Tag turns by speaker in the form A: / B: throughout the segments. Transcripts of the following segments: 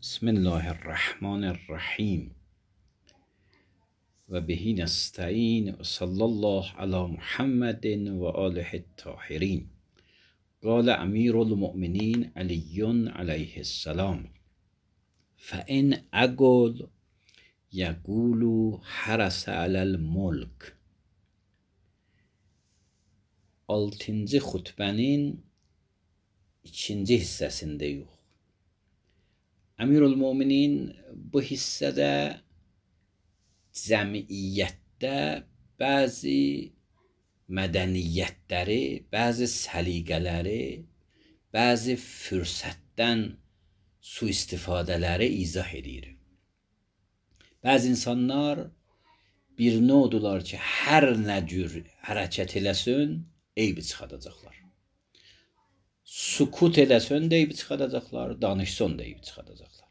A: بسم الله الرحمن الرحیم و بهی نستعین و صلی الله علی محمد و آله الطاهرین. قال امیر المؤمنین علی علیه السلام فإن أقل يقول حرس على الملك. 6-cı xutbənin 2-ci hissəsindəyik. Əmirül-Möminin bu hissədə cəmiyyətdə bəzi mədəniyyətləri, bəzi səliqələri, bəzi fürsətdən sui-istifadələri izah edir. Bəzi insanlar bir nodular ki, hər nə cür hərəkət eləsin, eybi çıxadacaqlar. Sukut eləsən də eybi çıxadacaqlar, danışsan da eybi çıxadacaqlar.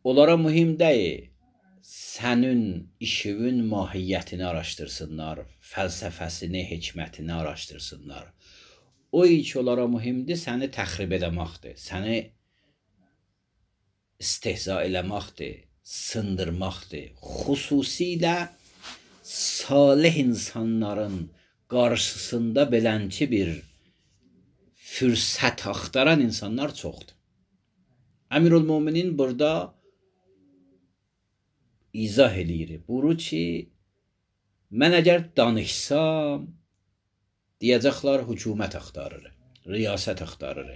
A: Onlara mühim deyil, sənin işinin mahiyyətini araşdırsınlar, fəlsəfəsini, hikmətini araşdırsınlar. O iş onlara mühimdir, səni təxrib eləməkdir, səni istehza eləməkdir, sındırmaqdır. Xüsusilə salih insanların qarşısında beləncə bir fürsət axtaran insanlar çoxdur. Əmirül-Möminin burada izah eləyir. Buyurur ki, mən əgər danışsam, deyəcəklər hökumət axtarır, riyasət axtarır.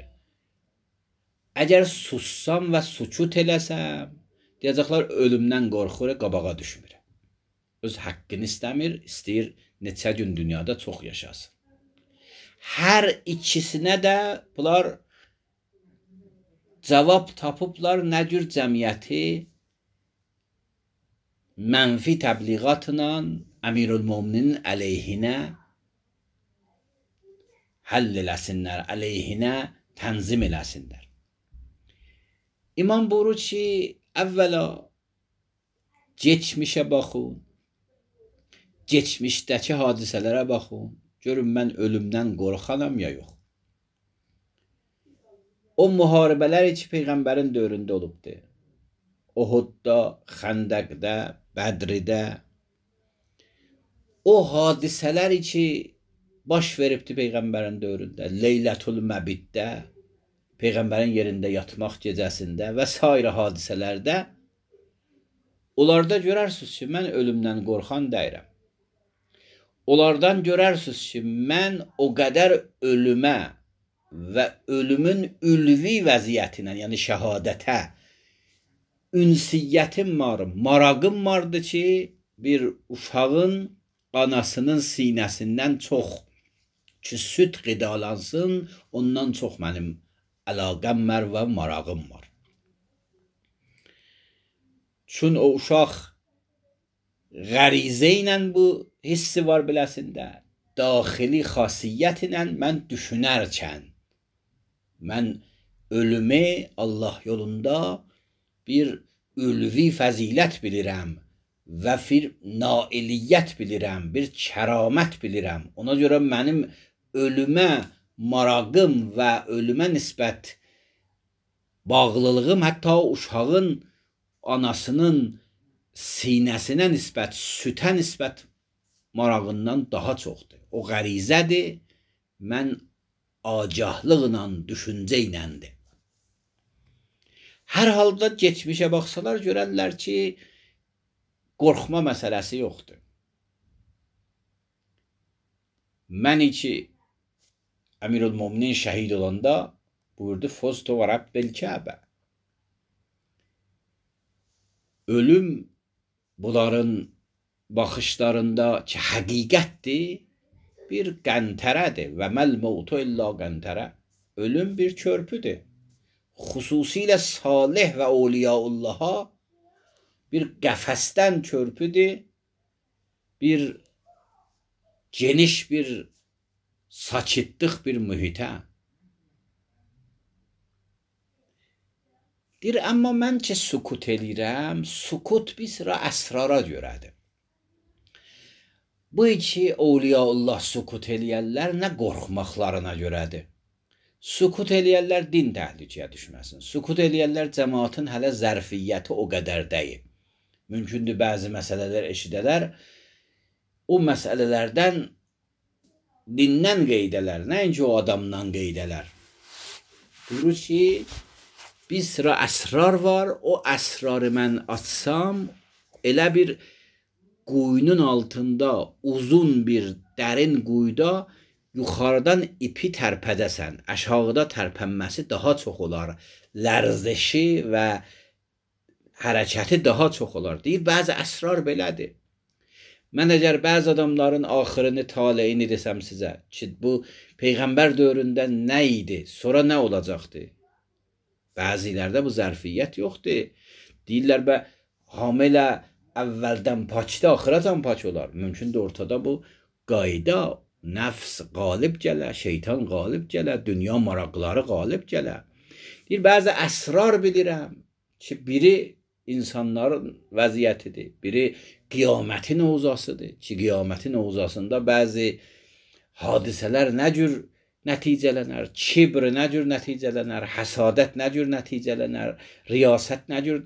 A: Əgər sussam və sükut eləsəm, deyəcəklər ölümdən qorxur, qabağa düşmür. Öz haqqını istəmir, istəyir neçə gün dünyada çox yaşasın. Hər ikisinə də bunlar cavab tapıblar, nə cür cəmiyyəti mənfi təbliğatla Əmirül-Möminin əleyhinə həll eləsinlər, əleyhinə tənzim eləsinlər. İmam buyurur ki, əvvəla geçmişə baxın, geçmişdəki hadisələrə baxın, görün mən ölümdən qorxanam ya yox. O müharibələr ki, Peyğəmbərin dövründə olubdur. Uhudda, Xəndəqdə, Bədridə, o hadisələr ki, baş veribdir Peyğəmbərin dövründə, Leylətül Məbiddə, Peyğəmbərin yerində yatmaq gecəsində və s. hadisələrdə, onlarda görərsiniz ki, mən ölümdən qorxan deyirəm. Onlardan görərsiniz ki, mən o qədər ölümə və ölümün ülvi vəziyyətinə, yəni şəhadətə ünsiyyətim var, marağım vardı ki, bir uşağın anasının sinəsindən çox ki, süd qidalansın, ondan çox mənim əlaqəm var və marağım var. Çün o uşaq qərizə ilə bu hissi var biləsində, daxili xasiyyət ilə mən düşünərkən, mən ölümü Allah yolunda bir ülvi fəzilət bilirəm və bir nailiyyət bilirəm, bir kəramət bilirəm. Ona görə mənim ölümə marağım və ölümə nisbət bağlılığım hətta uşağın anasının sinəsinə nisbət, sütə nisbət marağından daha çoxdur. O qərizədir, mən agahlıqla, düşüncə iləndir. Hər halda geçmişə baxsalar görərlər ki, qorxma məsələsi yoxdur. Mən ki, Əmirül-Möminin şəhid olanda buyurdu, Foztu və Rəbbil Kəbə. Ölüm bunların baxışlarında ki, həqiqətdir, bir qəntərədir və məl-mevtu illə qəntərə. Ölüm bir körpüdür. Xüsusilə salih və awliyaullaha bir qəfəsdən körpüdür, bir geniş bir sakitlik bir mühitə. Deyir, amma mən ki, sukut eləyirəm, sukut bir sıra əsrara görədir. Bu iki awliyaullah sukut eləyərlər nə qorxmaqlarına görədir. Sukut eləyərlər din təhlükəyə düşməsin. Sukut eləyərlər cəmaatın hələ zərfiyyəti o qədər deyil. Mümkündür bəzi məsələlər eşidələr, o məsələlərdən dindən qeydələr, nəinki o adamdan qeydələr. Buyurur ki, bir sıra əsrar var, o əsrarı mən açsam, elə bir quyunun altında, uzun bir dərin quyuda yuxarıdan ipi tərpədəsən, aşağıda tərpənməsi daha çox olar, lərzişi və hərəkəti daha çox olar. Deyir, bəzi əsrar belədir. Mən əgər bəzi adamların axırını, taleyini desəm sizə ki, bu Peyğəmbər dövründə nə idi, sonra nə olacaqdı? Bəzilərdə bu zərfiyyət yoxdur. Deyirlər, hamilə əvvəldən paçda, axıracan paç olar. Mümkündür ortada bu qayda, nəfs qalib gələ, şeytan qalib gələ, dünya maraqları qalib gələ. Deyir, bəzi əsrar bilirəm ki, biri insanların vəziyyətidir, biri qiyamətin ovzasıdır ki, qiyamətin ovzasında bəzi hadisələr nə cür nəticələnər, kibr nə cür nəticələnər, həsadət nə cür nəticələnər, riyasət nə cür,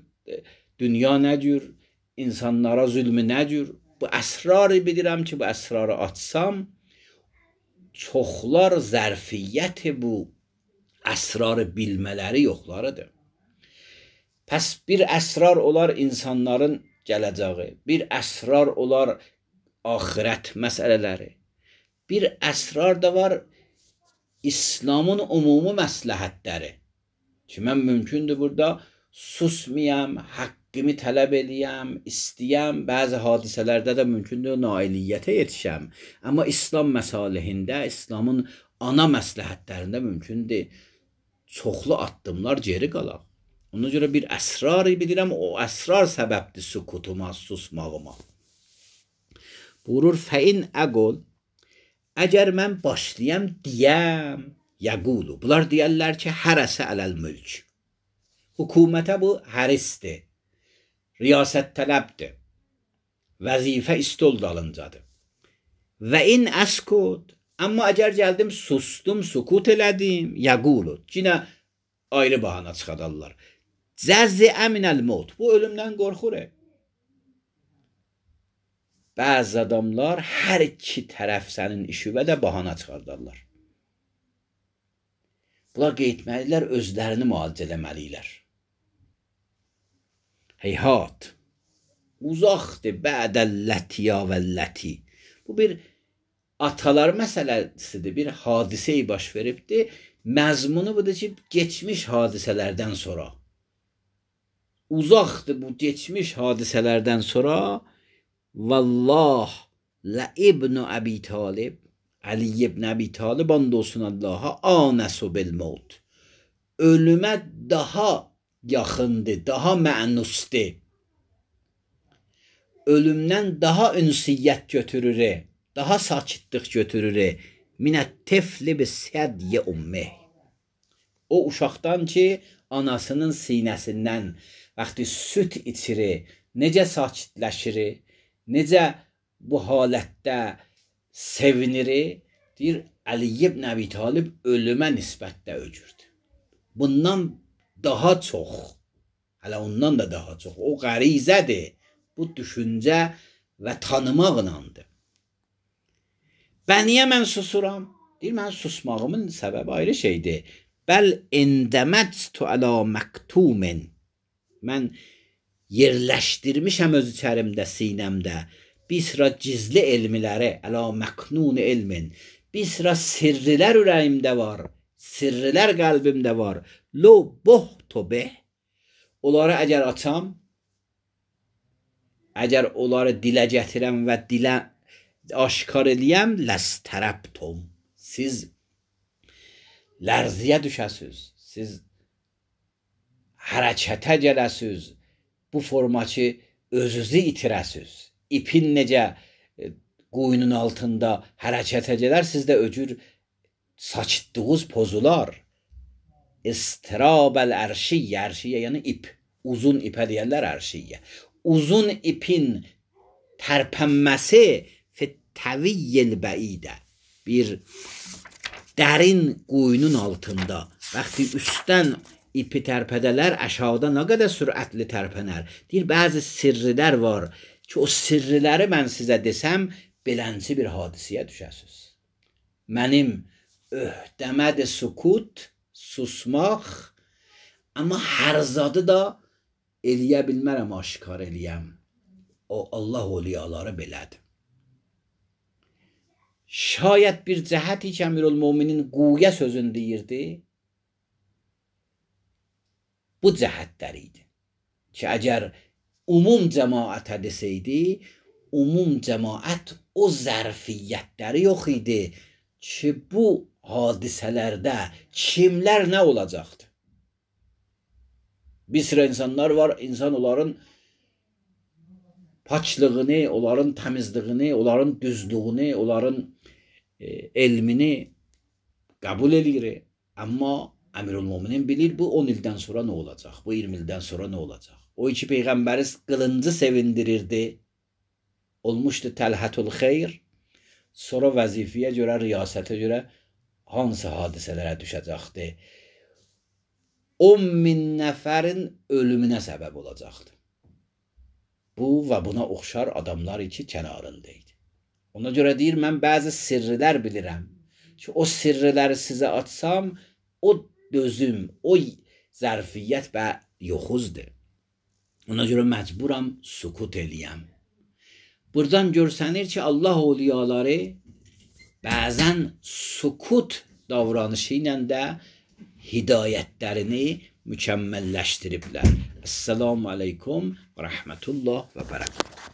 A: dünya nə cür, insanlara zülmü nə cür. Bu əsrarı bilirəm ki, bu əsrarı açsam, çoxlar zərfiyyəti bu əsrarı bilmələri yoxlarıdır. Pəs bir əsrar olar insanların gələcəyi, bir əsrar olar axirət məsələləri, bir əsrar da var İslamın umumi məsləhətləri ki, mən mümkündür burada susmayam, haqqımı tələb eləyəm, istəyəm, bəzi hadisələrdə də mümkündür nailiyyətə yetişəm, amma İslam məsalihində, İslamın ana məsləhətlərində mümkündür çoxlu addımlar geri qalaq. Ona görə bir əsrarı bilirəm, o əsrar səbəbdir sukutuma, susmağıma. Buyurur, fəin əqol, əgər mən başlayam deyəm, yəqulu, bunlar deyərlər ki, hərəsə ələl mülk. Hökumətə bu hərisdir, riyasət tələbdir, vəzifə istol dalıncadır. Və in əskut, amma əgər gəldim, sustum, sukut elədim, yəqulu, yenə ayrı bahana çıxadarlar. Cəzziə minəl mot, bu ölümdən qorxur. Bəzi adamlar hər iki tərəf sənin işivə də bahana çıxardarlar. Bunlar qeйтməlilər, özlərini müalicə eləməlilər. Heyhat, uzaqdır bədəllətiya vəlləti. Bu bir atalar məsələsidir, bir hadiseyi baş veribdir. Məzmunu budur ki, geçmiş hadisələrdən sonra. Uzaqdır bu geçmiş hadisələrdən sonra. Vallah la ibn Əbi Talib, Ali ibn Əbi Talib and olsun Allaha, anəsu bil maut. Ölümə daha yaxındır, daha mənusdur. Ölümdən daha ünsiyyət götürür, daha sakitlik götürür. Minət tefli bi sədyə ümmə. O uşaqdan ki, anasının sinəsindən vaxtı süt içirir, necə sakitləşir, necə bu halətdə sevinir, deyir, Ali ibn Əbi Talib ölümə nisbətdə öcürdü. Bundan daha çox, hələ ondan da daha çox, o qərizədir, bu düşüncə və tanımaqlandır. Bəniyə mən susuram? Deyir, mən susmağımın səbəbi ayrı şeydir. Bəl endəməttu əla məktumin. Mən yerləşdirmişəm öz içərimdə, sinəmdə bir sıra gizli elmiləri, əla məknun elmin. Bir sıra sirrilər ürəyimdə var, sirrilər qəlbimdə var. Lo bohtu beh. Onları əgər açam, əgər onları dilə gətirəm və dilə aşkar eləyəm, ləstərəbtum. Siz lərziyə düşəsiz, siz hərəkətə gələsiz, bu forma ki, özünüzü itirəsiz. İpin necə quyunun altında hərəkətə gələr, sizdə öcür saçıtdığınız pozular. İstirabəl ərşiyyə, ərşiyyə yəni ip, uzun ipə deyərlər ərşiyyə. Uzun ipin tərpənməsi fit təviyyil bəidə, bir dərin quyunun altında, vaxtı üstdən ipi tərpədələr, aşağıda nə qədər sürətli tərpənər. Deyir, bəzi sirrilər var ki, o sirriləri mən sizə desəm, belənci bir hadisəyə düşəsiniz. Mənim öhdəmədir sükut, susmaq, amma hər zadı da eləyə bilmərəm, aşkar eləyəm. O Allah oliyaları belədir. Şayət bir cəhəti ki, Əmirülmöminin quya sözünü deyirdi, bu cəhətlər idi ki, əgər umum cəmaətə desəydi, umum cəmaət o zərfiyyətləri yox idi ki, bu hadisələrdə kimlər nə olacaqdı? Bir sıra insanlar var, insan onların paçlığını, onların təmizliyini, onların düzlüğünü, onların elmini qəbul edir. Amma Əmirülmöminin bilir, bu 10 ildən sonra nə olacaq, bu 20 ildən sonra nə olacaq. O iki Peyğəmbəri qılıncı sevindirirdi, olmuşdu Təlhətül Xeyr, sonra vəzifəyə görə, riyasətə görə hansı hadisələrə düşəcəkdi? 10.000 nəfərin ölümünə səbəb olacaqdı. Bu və buna oxşar adamlar iki kənarındaydı. Ona görə deyir, mən bəzi sirrilər bilirəm ki, o sirrləri sizə açsam, o dözüm, o zərfiyyət və yoxuzdur. Ona görə məcburam sükut eləyəm. Buradan görsənir ki, Allah oliyaları bəzən sükut davranışı ilə də hidayətlərini mükəmməlləşdiriblər. Esselamu aleykum və rəhmətullah və bərəkət.